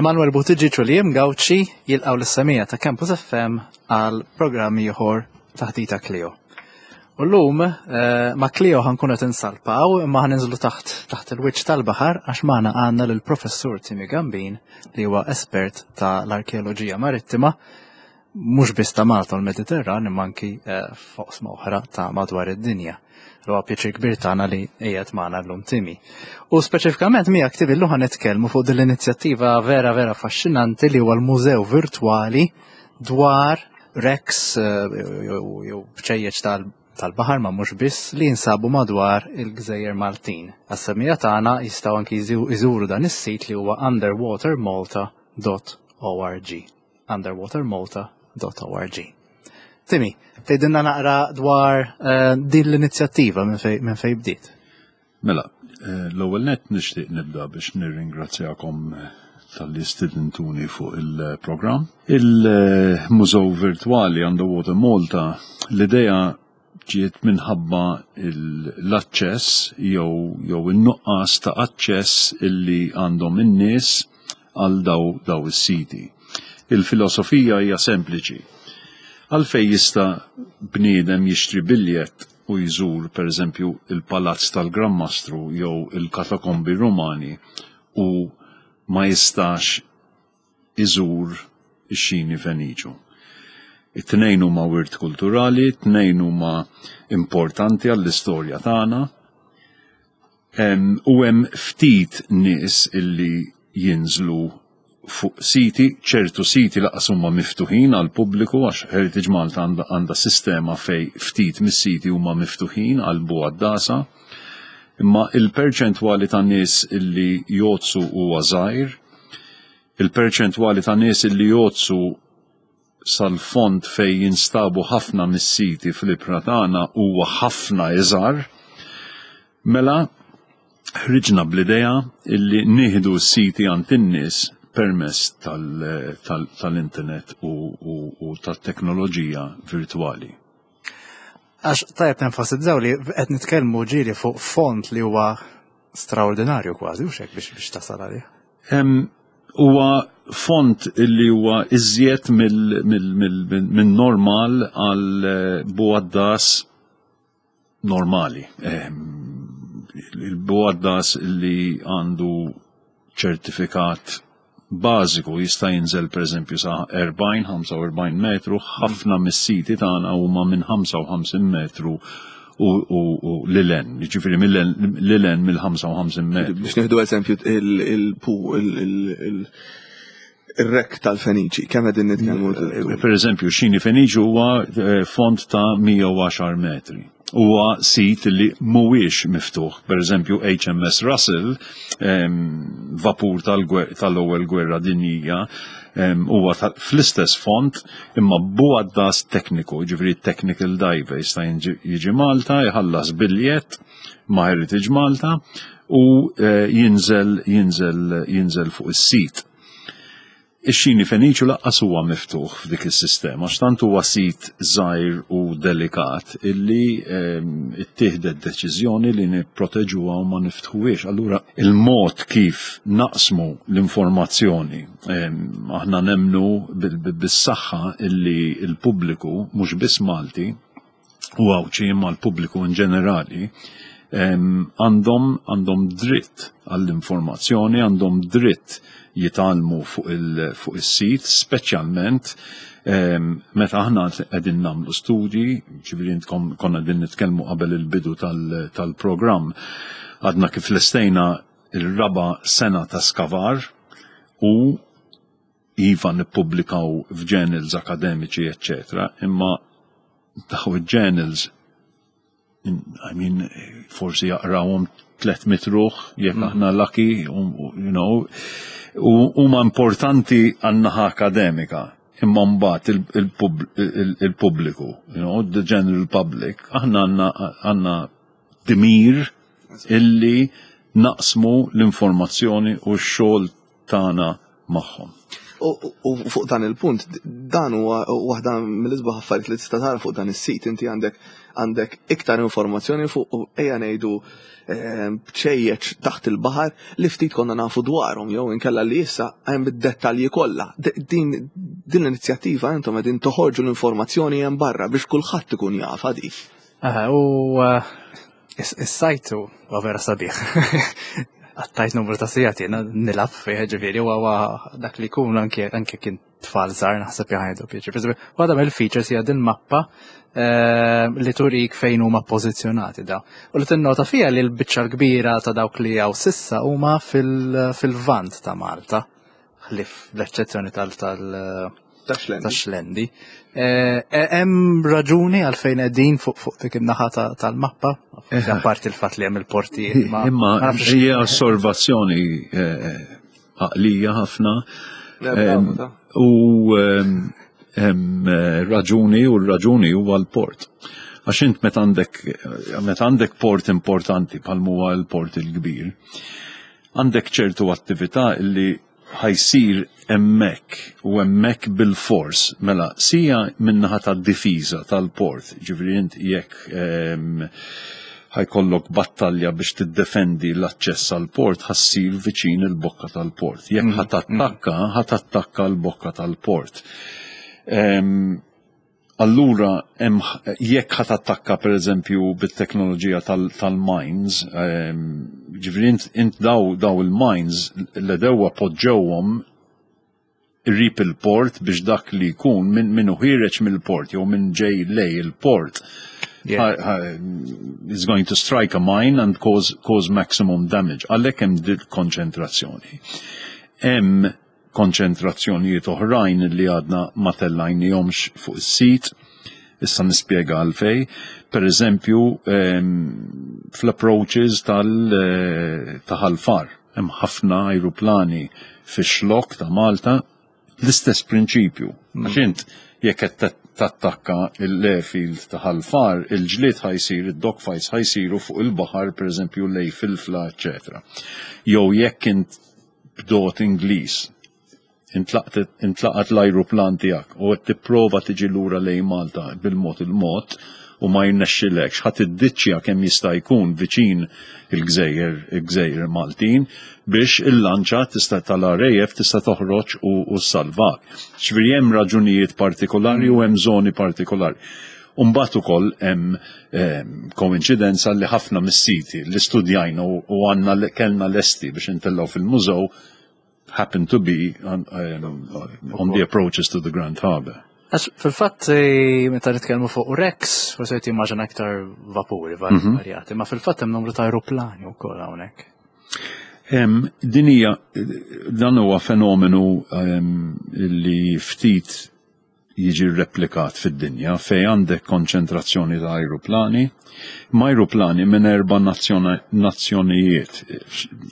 Emanuel Buttigieg u Liam Gauci jilqgħu lis-semija ta' Campus FM għal programm ieħor Taħdita Clio. U llum eh, ma' Clio ħankunu qed insalpaw imma ħaninżlu taħt taħt il-wiċċ tal-baħar għax magħna għandna lill-Professur Timmy Gambin li huwa espert ta' l-arkeoloġija marittima mhux biss ta' Malta u l-Mediterran imma anki eh, f'oqsma oħra ta' madwar id-dinja. Huwa pjaċir kbir tagħna li qiegħed magħna llum Timi. U speċifikament miegħek Timi llum nitkellmu fuq din l-inizjattiva vera vera affaxxinanti li huwa l-mużew virtwali dwar wrecks eh, jew bċejjeċ tal-baħar ma mhux biss li jinsabu madwar il-Gżejjer Maltin. Għas-semija tagħna jistgħu anki jżuru dan is-sit li huwa underwatermalta.org. underwatermalta.org. Timi, tgħidilna naqra dwar eh, din l-inizjattiva minn fej bdiet. Mela, eh, l-ewwel nett nixtieq nibda biex nirringrazzjakom eh, tal-li stidintuni fuq il-programm. Il-Mużew Virtwali Underwater Malta, l-idea ġiet minħabba l-aċċess jew jew in-nuqqas ta' aċċess illi għandhom in-nies għal daw daw is-siti. Il-filosofija hija sempliċi. Għalfejn jista' bniedem jixtri biljett u jżur pereżempju il-Palazz tal-Gran Mastru jew il-Katakombi Rumani u ma jistax iżur ix-xini Feniċu. It-tnejn huma wirt kulturali, it-tnejn huma importanti għall-istorja tagħna. U hemm ftit nies illi jinżlu fuq siti, ċertu siti laqas huma miftuħin għal pubbliku għax Heritage Malta għandha sistema fej ftit mis-siti huma miftuħin għal bugħaddasa. Imma il-perċentwali ta' nies illi jgħoddsu huwa żgħir. Il-perċentwali ta' nies illi jgħoddsu sal-fond fejn jinstabu ħafna mis-siti fl-ibħra tagħna huwa ħafna iżgħar. Mela ħriġna bl-idea illi nieħdu s-siti għand in-nies permezz tal-internet u tat-teknoloġija virtwali. Għax tajjeb nenfasizzaw li qed nitkellmu ġieli fuq fond li huwa straordinarju kważi, u xek biex biex tasal għalih. Huwa fond li huwa iżjed minn normal għal bugħaddas normali. Il-bugħaddas li għandu ċertifikat bażiku jista' jinżel pereżempju sa 40-45 metru, ħafna mis-siti tagħna huma minn 55 metru u lil-en, jiġifieri lil-en mill-55 metru. Biex nieħdu eżempju il-pu il-rek tal-Feniċi, kemm qegħdin nitkellmu? Per eżempju, xini Feniċi huwa eh, fond ta' 110 metri. Huwa sit li mhuwiex miftuħ. Per eżempju, HMS Russell, vapur tal-ewwel gwerra dinjija, huwa fl-istess fond imma bugħaddas tekniku, ġifieri technical diver jista' jiġi Malta, jħallas biljett ma' Heritage Malta u eh, jinżel jinżel jinżel fuq is-sit. Ix-xini Feniċu laqqas huwa miftuħ f'dik is-sistema għax tant huwa sit żgħir u delikat illi ehm, ittieħdet deċiżjoni li nipproteġuha u ma niftħuhiex. Allura il-mod kif naqsmu l-informazzjoni ehm, aħna nemmnu bis-saħħa illi l-pubbliku mhux biss Malti u Għawdxi imma l-pubbliku in ġenerali għandhom għandhom dritt għall-informazzjoni, għandhom dritt jitgħallmu fuq il, is-sit, speċjalment meta aħna qegħdin nagħmlu studji, ġifieri intkom konna qegħdin nitkellmu qabel il-bidu tal-programm, għadna kif lestejna il-raba sena ta' skavar u iva nippubblikaw f'journals akademiċi, eccetera, imma daw il-journals I mean, forsi jaqrawhom 300 ruħ, jekk mm. aħna lucky, you know, huma importanti għan-naħa akademika, imma mbagħad il-pubbliku, you know, the general public, aħna għandna dmir illi naqsmu l-informazzjoni u x-xogħol tagħna magħhom. U fuq dan il-punt, dan huwa waħda mill-isbaħ affarijiet li tista' tara fuq dan is-sit. Inti għandek iktar informazzjoni fuq, ejja ngħidu, bċejjeċ taħt il-baħar li ftit konna nafu dwarhom jew inkella li issa hemm id-dettalji kollha. Din l-inizjattiva intom qegħdin toħorġu l-informazzjoni hemm barra biex kulħadd ikun jafha di. U is-sajtu huwa vera sabiħ. Għattajt numru ta' sigħat jiena nilgħab fih, ġifieri huwa dak li jkun anke kien tfal żgħar naħseb jħajdu pjaċir. Waħda mill-features hija din mappa li turik fejn huma pożizzjonati da. U li tinnota fiha li l-biċċa l-kbira ta' dawk li hawn s'issa huma fil-vant ta' Malta, ħlief l-eċċezzjoni tax-Xlendi. Hemm raġuni għalfejn qegħdin fuq dik in-naħa tal-mappa, apparti il-fatt li hemm il-portijiet. Imma hija osservazzjoni għaqlija ħafna. U hemm raġuni, u l-raġuni huwa l-port. Għax int meta għandek port importanti bħal huwa l-port il-kbir, għandek ċertu attività li ħa jsir hemmhekk u hemmhekk bil-fors. Mela, sija min-naħa tad-difiża tal-port, ġifieri int jekk ħa jkollok battalja biex tiddefendi l-aċċess għal port, ħa ssir viċin il-bokka tal-port. Jekk ħa tattakka, ħa tattakka l-bokka tal-port. Allura, jekk ħa tattakka, per eżempju, bit-teknoloġija tal-mines, ġifieri int daw il-mines l-għedewwa poġġewhom qrib il-port biex dak li jkun minn ħiereġ mill-port jew minn ġej lejn il-port is going to strike a mine and cause maximum damage. Għalhekk hemm din konċentrazzjoni. Hemm konċentrazzjonijiet oħrajn li għadna ma tellajnihomx fuq is-sit, issa nispjega għalfejn. Per eżempju, fl-approaches ta' Ħal Far, hemm ħafna ajruplani fix-xlok ta' Malta, l-istess prinċipju. Għax int jekk qed tattakka l-airfield ta' Ħal Far, il-ġlied ħa jsir, id-dogfights ħa jsiru fuq il-baħar, per eżempju, lejn Filfla, eccetera. Jew jekk int bdot Ingliż intlaqat l-ajruplan tiegħek u qed tipprova tiġi lura lejn Malta bil-mod il-mod u ma jirnexxilekx, ħa tiddiċċja kemm jista' jkun viċin il-gżejjer Maltin biex il-lanċa tista' tal-RAF tista' toħroġ u salvak. Ġifieri hemm raġunijiet partikolari u hemm żoni partikolari. Umbagħad ukoll hemm koinċidenza li ħafna mis-siti li studjajna u għandna kellna lesti biex intellgħu fil-mużew happen to be on the approaches to the Grand Harbour. Għax fil-fatt, meta nitkellmu fuq wrecks, forsi qed jimmaġina aktar vapuri varjati, ma fil-fatt hemm numru ta' aeroplani wkoll hawnhekk. Din hija dan huwa fenomenu li ftit jiġi replikat fid-dinja fej għandek konċentrazzjoni ta' aeroplani, ma' aeroplani minn erba' nazzjonijiet: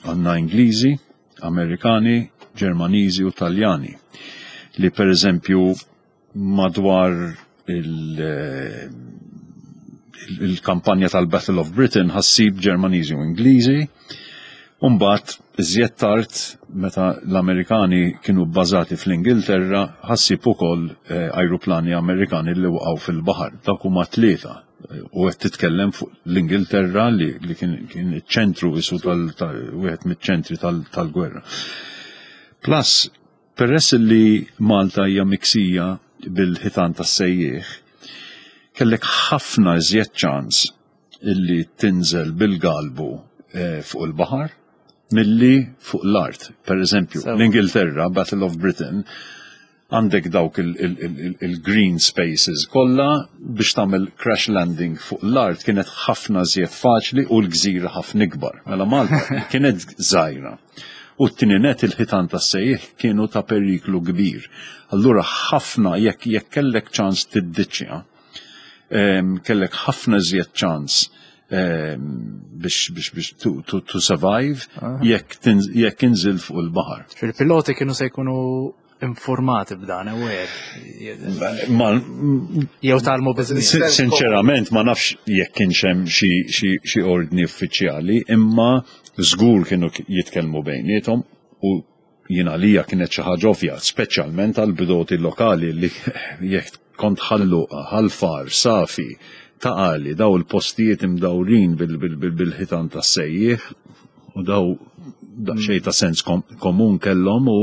għandna Ingliżi, Amerikani, Ġermaniżi u Taljani. Li, per eżempju, madwar il-kampanja tal-Battle of Britain ħa ssib Ġermaniżi u Ingliżi. Umbagħad, iżjed tard, meta l-Amerikani kienu bbażati fl-Ingilterra, ħa ssib ukoll ajruplani Amerikani li waqgħu fil-baħar. Dak huma tlieta. U qed titkellem fuq l-Ingilterra li kien iċ-ċentru isu tal wieħed miċ-ċentri tal-gwerra. Plus, peress li Malta hija miksija bil-ħitan tas-sejjieħ, kellek ħafna iżjed ċans illi tinżel bil-galbu fuq il-baħar milli fuq l-art. Per eżempju, l-Ingilterra, Battle of Britain, għandek dawk il-green spaces kollha biex tagħmel crash landing fuq l-art kienet ħafna żjed faċli u l-gżira ħafna ikbar. Mela Malta kienet żgħira. U t-tieni net, il-ħitan tas-sejjieħ kienu ta' periklu kbir. Allura ħafna jekk kellek ċans tiddiċċja, kellek ħafna żjed ċans biex to survive jekk inżil fuq il-baħar. Fil-piloti kienu se jkunu informati b'dan, aware. Ma Jew tgħallmu biż-żmien. Sinċerament ma nafx jekk kienx hemm xi ordni uffiċjali, imma żgur kienu jitkellmu bejniethom u Jien għalija kienet xi ħaġa ovvja, speċjalment għal bdoti lokali li jekk kont Ħal Luqa, Ħal Far, Safi, Ta' Qali, daw il-postijiet imdawrin bil-ħitan tas-sejjieħ u daw daqsxejn ta' sens komun kellhom u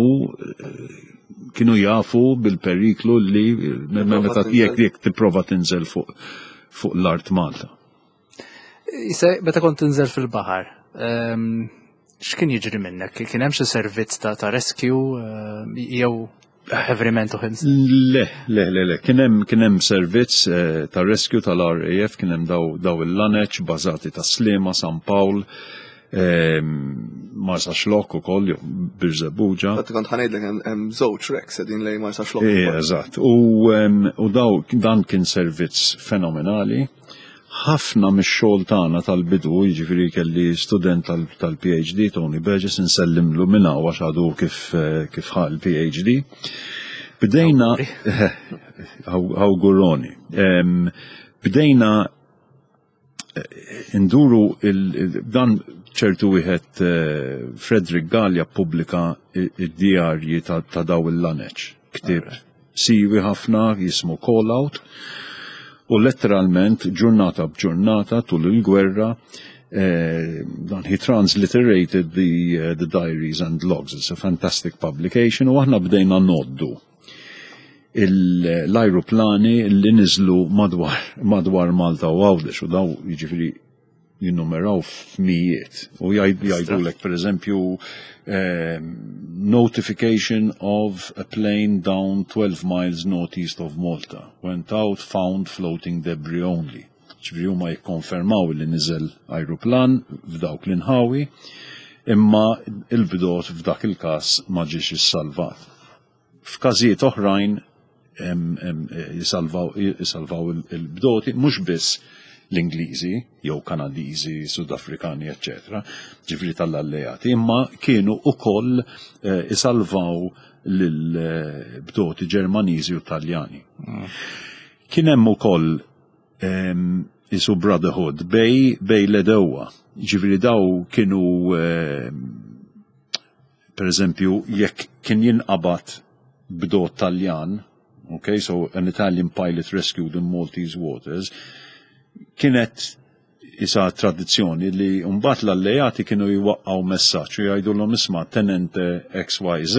kienu jafu bil-periklu li meta jekk tipprova tinżel fuq fuq l-art Malta. Meta kont tinżel fil-baħar, x'kien jiġri minnek? Kien hemm xi servizz ta' rescue jew everyman to himself? Le, le, le, le. Kien hemm kien hemm servizz ta' rescue tal-RAF, kien hemm daw il-laneċ bażati ta' Sliema, San Pawl, Marsaxlokk ukoll, jew Birżebbuġa. Infatti kont ħa ngħidlek hemm żewġ wrecks qegħdin lejn Marsaxlokk. Eżatt. U daw dan kien servizz fenomenali. Ħafna mix-xogħol tagħna tal-bidu, jiġifieri kelli student tal-PhD, Tony Burgess, insellimlu minn hawn għax għadu kif kif ħa l-PhD. Bdejna awguroni. Bdejna nduru dan ċertu wieħed Frederick Gallia ppubblika id-djarji ta' daw il-laneċ. Ktieb siwi ħafna jismu Call Out u letteralment ġurnata b'ġurnata tul il-gwerra dan he transliterated the diaries and logs. It's a fantastic publication u aħna bdejna ngħoddu l-ajruplani li niżlu madwar madwar Malta u Għawdex u daw jiġifieri jinnumeraw f'mijiet u jgħidulek per eżempju notification of a plane down 12 miles northeast of Malta went out found floating debris only. Ġifieri huma jikkonfermaw li niżel ajruplan f'dawk l-inħawi imma il-bdot f'dak il-każ ma ġiex issalvat. F'każijiet oħrajn jisalvaw il-bdoti mhux biss l-Ingliżi jew Kanadiżi, Sudafrikani, eċċetera, ġifieri tal-alleati, imma kienu ukoll isalvaw lill-bdoti Ġermaniżi u Taljani. Kien hemm ukoll isu brotherhood bej bej l-edewwa. Ġifieri daw kienu Per eżempju, jekk kien jinqabad bdot Taljan, okay, so an Italian pilot rescued in Maltese waters, kienet isa tradizzjoni li mbagħad l-alleati kienu jwaqqgħu messaġġ u jgħidulhom isma' tenente XYZ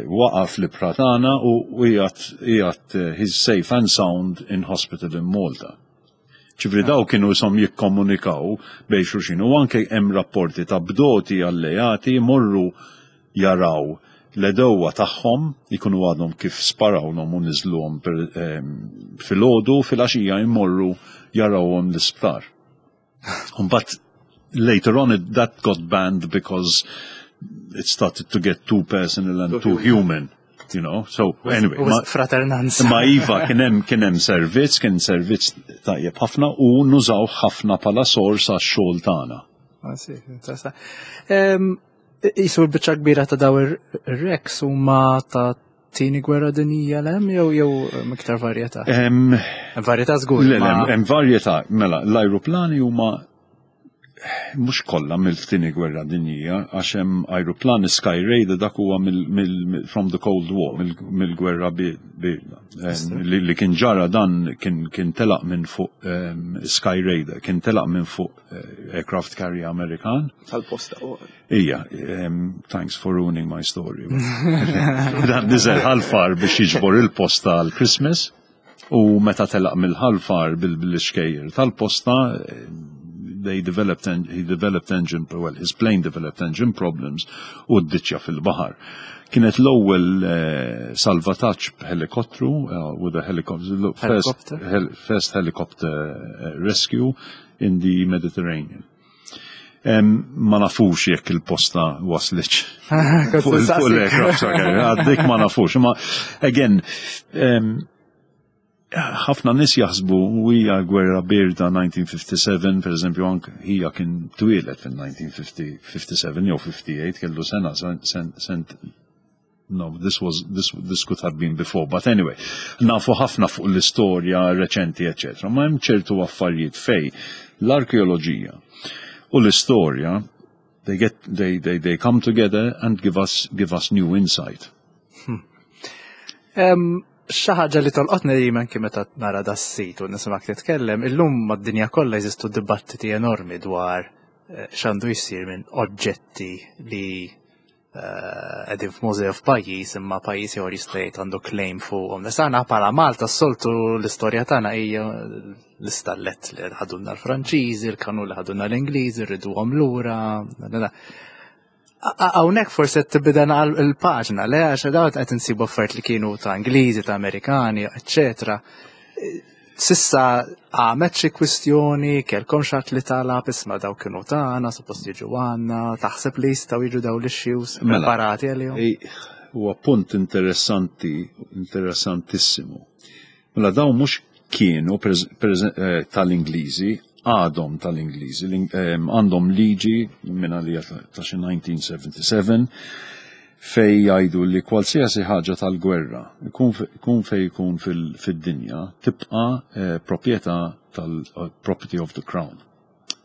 waqaf l-ibħra tagħna u qiegħed he's safe and sound in hospital in Malta. Ġifieri daw kienu ishom jikkomunikaw bejn xulxin u anke hemm rapporti ta' bdoti alleati jmorru jaraw l-għedewwa tagħhom jkunu għadhom kif sparawlhom u niżluhom filgħodu filgħaxija jmorru jarawhom l-isptar. Mbagħad later on it, that got banned because it started to get too personal and too human. You know, so anyway. Ma, fraternanza. Ma iva kien hemm kien hemm servizz, kien servizz tajjeb ħafna u nużaw ħafna bħala sors għax-xogħol tagħna. Ah, Isu l-biċċa kbira ta' daw ir-reks huma ta' tieni gwerra dinjija l hemm jew jew iktar varjetà? Hemm varjetà żgur. Le, hemm varjetà, mela l-ajruplani huma mhux kollha mill-tieni gwerra dinjija għax hemm ajruplan Sky Raider dak huwa from the Cold War mill-gwerra li kien ġara dan kien telaq minn fuq Sky Raider, kien telaq minn fuq aircraft carrier Amerikan. Tal-posta. Ija, thanks for ruining my story. Dan niżel Ħal Far biex jiġbor il-posta għal Christmas u meta telaq mill-Ħal Far bil-xkejjer tal-posta they developed he developed engine well his plane developed engine problems u ddiċċja fil-baħar. Kienet l-ewwel salvataġġ b'ħelikottru with a helicopter first, first helicopter rescue in the Mediterranean. Ma nafux jekk il-posta waslitx. Fuq l-aircraft, għaddik ma nafux. Ma, again, ħafna nis jaħsbu u hija gwerra birda 1957, per eżempju, anke hija kien twieled fil-1957 jew 58, kellu sena, sent No, this was this this could have been before, but anyway, nafu ħafna fuq l-istorja reċenti, eccetera. Ma hemm ċertu affarijiet fej l-arkeoloġija u l-istorja. They get they they they come together and give us give us new insight. Hmm. Xi ħaġa li tolqotni li anki meta nara da sit u nismak titkellem, illum mad-dinja kollha jeżistu dibattiti enormi dwar eh, x'għandu jsir minn oġġetti li eh, qegħdin f'mużew f'pajjiż imma pajjiż ieħor jista' jgħid għandu claim fuqhom. Issa aħna bħala Malta s-soltu l-istorja tagħna hija l-istallet li ħadunna l-Franċiżi, l-kanun li ħadunna l-Ingliżi, rriduhom lura. Hawnhekk forsi qed tibda il-paġna, le għax dawn qed insibu affarijiet li kienu ta' Ingliżi, ta' Amerikani, eċċetera. Sissa għamet xi kwistjoni, kellkom xi li talab isma' daw kienu tagħna, suppost jiġu għandna, taħseb li jistgħu jiġu daw l-issues mela, preparati għalihom? Huwa punt interessanti, interessantissimu. Mela dawn mhux kienu eh, tal-Ingliżi, għadhom tal-Ingliżi, eh, għandhom liġi minn għalija ta' xi 1977 fej jgħidu li kwalsiasi ħaġa tal-gwerra, ikun fej ikun fid-dinja, tibqa eh, proprjetà tal-property of the crown.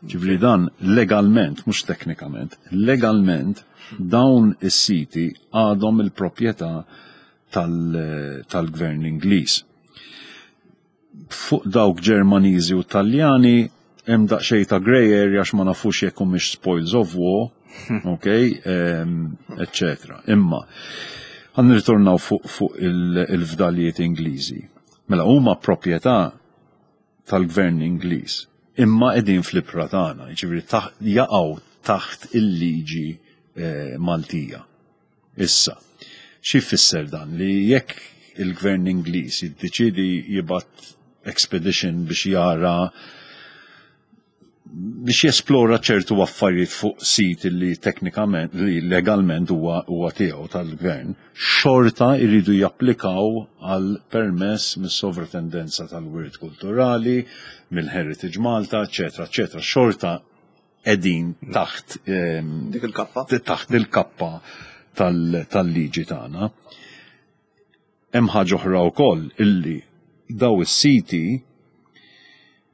Ġifieri dan legalment, mhux teknikament, legalment dawn is-siti għadhom il-proprjetà tal-gvern Ingliż. Fuq dawk Ġermaniżi u Taljani hemm daqsxejn ta' grey area għax ma nafux jekk humiex spoils of war, ok, eccetera. Imma ħa nirritornaw fuq fu il-fdalijiet Ingliżi. Mela huma proprjetà tal-gvern Ingliż, imma qegħdin fl-ibħra tagħna, jiġifieri jaqgħu taħt il-liġi eh, Maltija. Issa, xi jfisser dan? Li jekk il-gvern Ingliż jiddeċiedi jibgħat expedition biex jara biex jesplora ċertu affarijiet fuq sit li teknikament li legalment huwa huwa tiegħu tal-gvern, xorta jridu japplikaw għal permess mis-Sovratendenza tal-Wirt Kulturali, mill-Heritage Malta, eċetera, eċetera. Xorta qegħdin taħt ehm, dik il-kappa. Taħt il-kappa tal-liġi tagħna. Hemm ħaġa oħra wkoll illi daw is-siti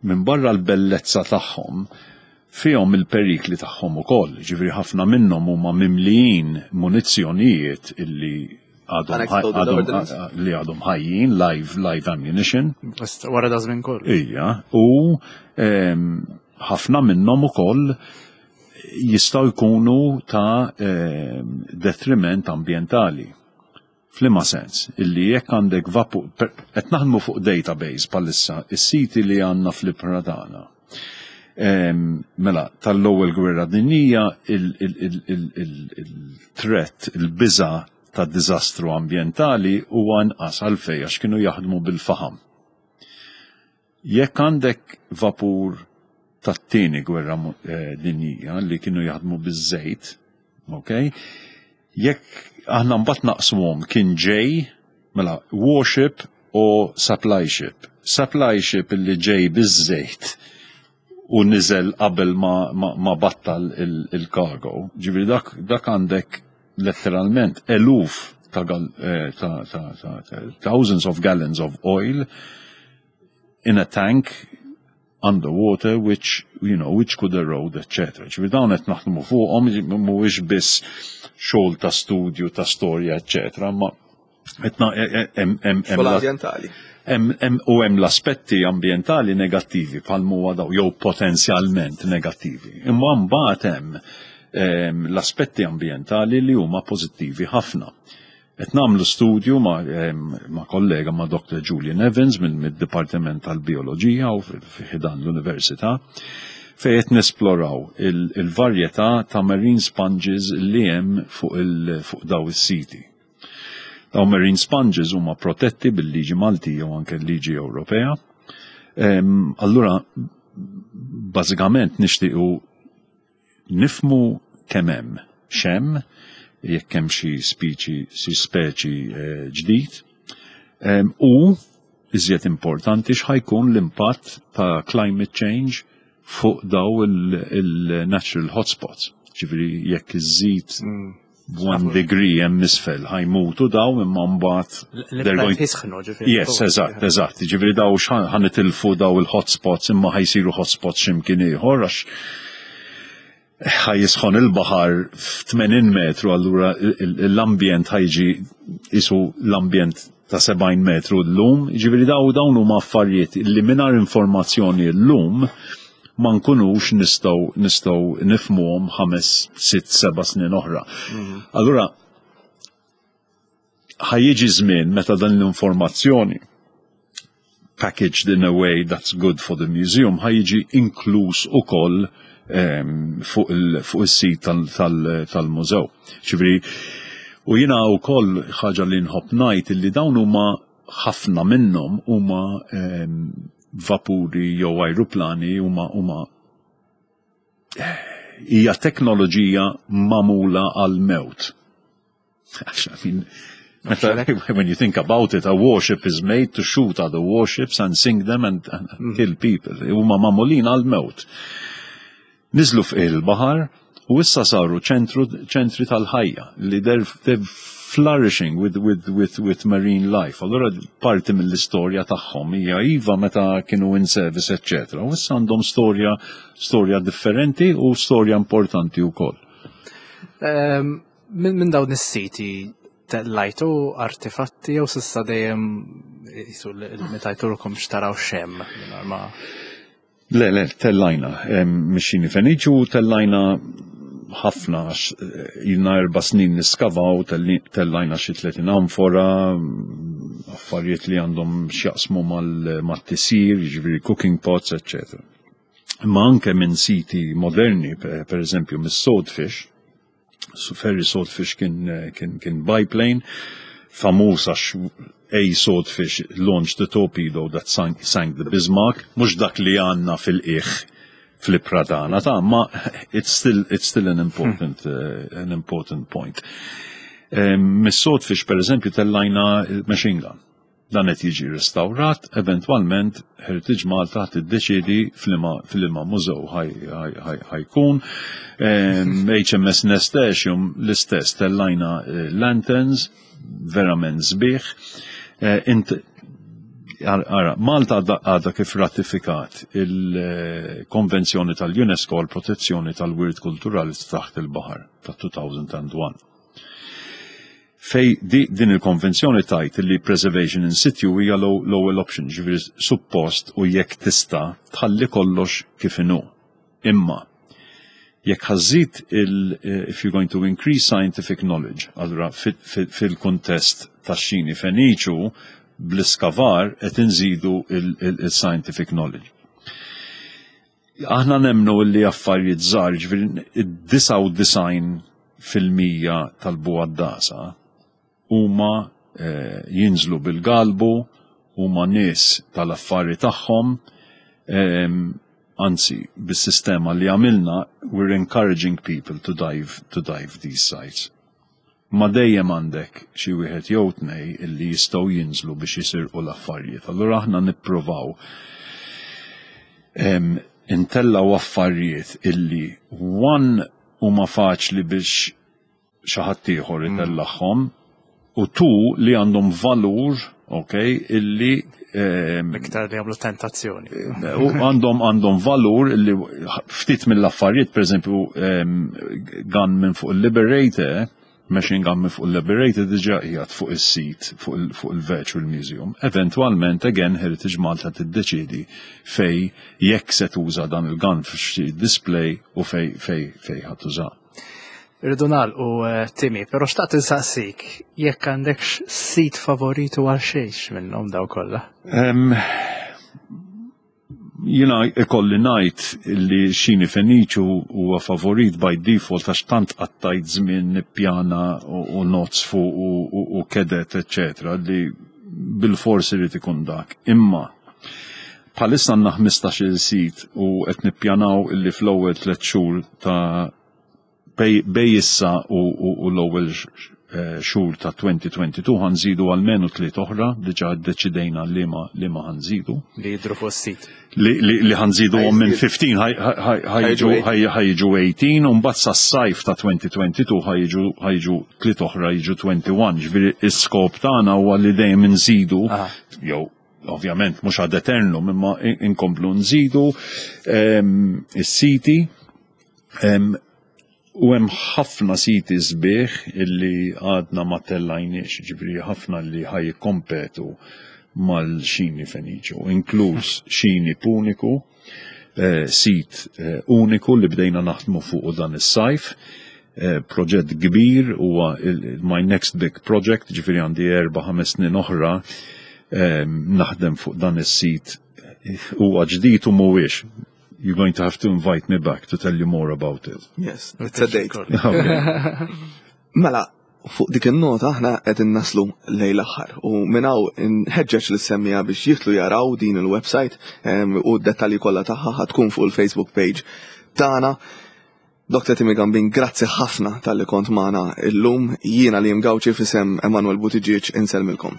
minn barra l-bellezza tagħhom fihom il-perikli tagħhom ukoll, ġifieri ħafna minnhom huma mimlijin munizzjonijiet illi għadhom li għadhom ħajjin, live, live ammunition. Wara da żmien kollu. Ija, u ehm, ħafna minnhom ukoll jistgħu jkunu ta' ehm, detriment ambjentali. F'liema sens? Illi jekk għandek vapu, qed naħdmu fuq database bħalissa, is-siti li għandna fl-ibħra tagħna. Ehm, mela, tal-ewwel gwerra dinjija il-threat, il-biża ta' diżastru ambjentali huwa inqas għalfejn għax kienu jaħdmu bil-faħam. Jekk għandek vapur tat-tieni gwerra eh, dinjija li kienu jaħdmu biż-żejt, ok? Jekk aħna mbagħad naqsmuhom kien ġej, mela warship u supply ship. Supply ship li ġej biż-żejt u niżel qabel ma, ma, ma battal il-cargo. Ġifieri dak, dak għandek letteralment eluf ta', eh, ta, ta, ta, ta thousands of gallons of oil in a tank underwater which you know which could erode etc. Ġifieri dawn qed naħdmu fuqhom mhuwiex biss xogħol ta' studju ta' storja etc. ma hemm ambjentali. U hemm l-aspetti ambjentali negattivi bħal huwa daw jew potenzjalment negattivi. Imma mbagħad hemm ehm, l-aspetti ambjentali li huma pożittivi ħafna. Qed nagħmlu studju ma', ma kollega ma' Dr. Julian Evans minn mid-Dipartiment tal-Bioloġija u fi ħdan l-Università fejn qed nesploraw il-varjetà ta' marine sponges li hemm fuq fuq daw is-siti. Daw marine sponges huma protetti bil-liġi Maltija u anke l-liġi Ewropea. Allura bażikament nixtiequ nifmu kemm hemm x'hemm, jekk hemm xi speċi xi speċi eh, ġdid. U iżjed importanti x'ħajkun l-impatt ta' climate change fuq daw il-natural hotspots. Ġifieri jekk iżżid mm. one degree hemm isfel ħajmutu daw imma mbagħad they're going jisħnu ġifieri. Yes, eżatt, eżatt. Ġifieri daw ħanitilfu daw il-hotspots imma ħajsiru hotspots x'imkien ieħor għax. Ħa jisħon il-baħar f'80 metru, allura l-ambjent ħa jiġi isu l-ambjent ta' 70 metru llum. Ġifieri dawn huma affarijiet li mingħajr informazzjoni llum ma nkunux nistgħu nifhmuhom 5, 6, 7 snin oħra. Allura ħa jiġi żmien meta dan l-informazzjoni packaged in a way that's good for the museum ħa jiġi inkluż ukoll fuq is-sit tal-mużew. Ġifieri, u jiena wkoll ħaġa li nħobb ngħid illi dawn huma, ħafna minnhom huma vapuri jew ajruplani, huma hija teknoloġija magħmula għal-mewt. I mean, when you think about it, a warship is made to shoot other warships and sink them and kill people. Huma magħmulin għal-mewt. Niżlu fuq il-baħar u issa saru ċentri tal-ħajja li they're flourishing with marine life. Allora parti mill-istorja tagħhom hija iva meta kienu in service, etc. U issa għandhom storja differenti u storja importanti wkoll. Minn dawn is-siti tellajtu artefatti jew s'issa dejjem jisu meta jturkom xtaraw xem ma Le, tellajna. Mix-Xini Feniċu tellajna ħafna għax ilna 4 snin niskavaw, tellajna xi 30 amfora, affarijiet li għandhom x'jaqsmu mal-tisjir, ġifieri cooking pots, etc. Ma anke minn siti moderni, per eżempju mis-Swordfish, so Fairey Swordfish kien biplane, famuż għax a Swordfish launched the torpedo that sank the Bismarck, mhux dak li għandna fil-qiegħ fl-Pradana, ta' ma it's still an important point. Mis-Swordfish, per eżempju, tellajna machine gun. Dan qed jiġi restawrat, eventwalment Heritage Malta tiddeċiedi f'liema mużew ħa jkun. HMS Nasturtium l-istess, tellajna lanterns, verament sbieħ. Ara, Malta għadha kif ratifikat il-Konvenzjoni tal-UNESCO għal protezzjoni tal-Wirt Kulturali taħt il-Baħar ta' 2001. Fej din il-konvenzjoni tgħid li preservation in situ hija l-ewwel option, ġifieri suppost u jekk tista' tħalli kollox kif inhu. Imma jekk ħa żżid il if you're going to increase scientific knowledge, allura fil-kuntest tax-Xini Feniċu bl-iskavar qed inżidu il-scientific knowledge. Aħna nemnu li affarijiet żgħar, ġifieri id-99% tal-bugħaddasa huma jinżlu bil-galbu, huma nies tal-affari tagħhom, anzi, bis-sistema li għamilna, we're encouraging people to dive these sites. Ma dejjem għandek xi wieħed jew tnej illi jistgħu jinżlu biex jisirqu l-affarijiet. Allura aħna nippruvaw intellaw affarijiet illi one huma faċli biex xi ħadd ieħor itellagħhom u two li għandhom valur, ok, illi Iktar li għamlu tentazzjoni. U għandhom valur illi ftit mill-affarijiet, per eżempju, gun minn fuq il-Liberator, machine gun minn fuq il-Liberator diġà qiegħed fuq is-sit fuq il-Virtual Museum. Eventualment, again, Heritage Malta tiddeċiedi fej jekk se tuża dan il-gun f'xi display u fej ħa tuża. Irridu nagħlqu, Timmy, però xtaqt insaqsik jekk għandekx sit favoritu għal xejx minnhom daw kollha. Jiena ikolli ngħid li Xini Feniċu huwa favorit by default għax tant qattajt żmien nippjana u notes fuq u kedet, eccetera, li bil-forsi irid ikun dak. Imma bħalissa għandna 15 sit u qed nippjanaw illi fl-ewwel 3 xhur ta' bej issa u l-ewwel xhur ta' 2022 ħa nżidu almenu tliet oħra, diġà ddeċidejna li ma ħa nżidu. Li jidru fuq sit. Li ħa nżidu minn 15 ħa jiġu 18 u mbagħad sas-sajf ta' 2022 ħa jiġu tliet oħra, jiġu 21. Ġifieri is-skop tagħna huwa li dejjem nżidu jew ovvjament mhux ad eternum imma inkomplu nżidu is-siti. U hemm ħafna siti sbieħ illi għadna ma tellajniex, ġifieri ħafna li ħa jikkompetu mal-xini Feniċu, inkluż xini Puniku, sit uniku li bdejna naħdmu fuq dan is-sajf, proġett kbir, huwa my next big project, ġifieri għandi 4-5 snin oħra naħdem fuq dan is-sit. Huwa ġdid u mhuwiex. You're going to have to invite me back to tell you more about it. Yes, it's a date. Okay. Mela, fuq dik il-nota aħna qed naslu lejn l-aħħar u minn hawn nħeġġeġ lis-semmiegħa biex jidħlu jaraw din il-website u d-dettalji kollha tagħha ħa tkun fuq il-Facebook page tagħna. Dr. Timmy Gambin, grazzi ħafna talli kont magħna illum. Jiena Liam Gauci f'isem Emanuel Buttigieg insellmilkom.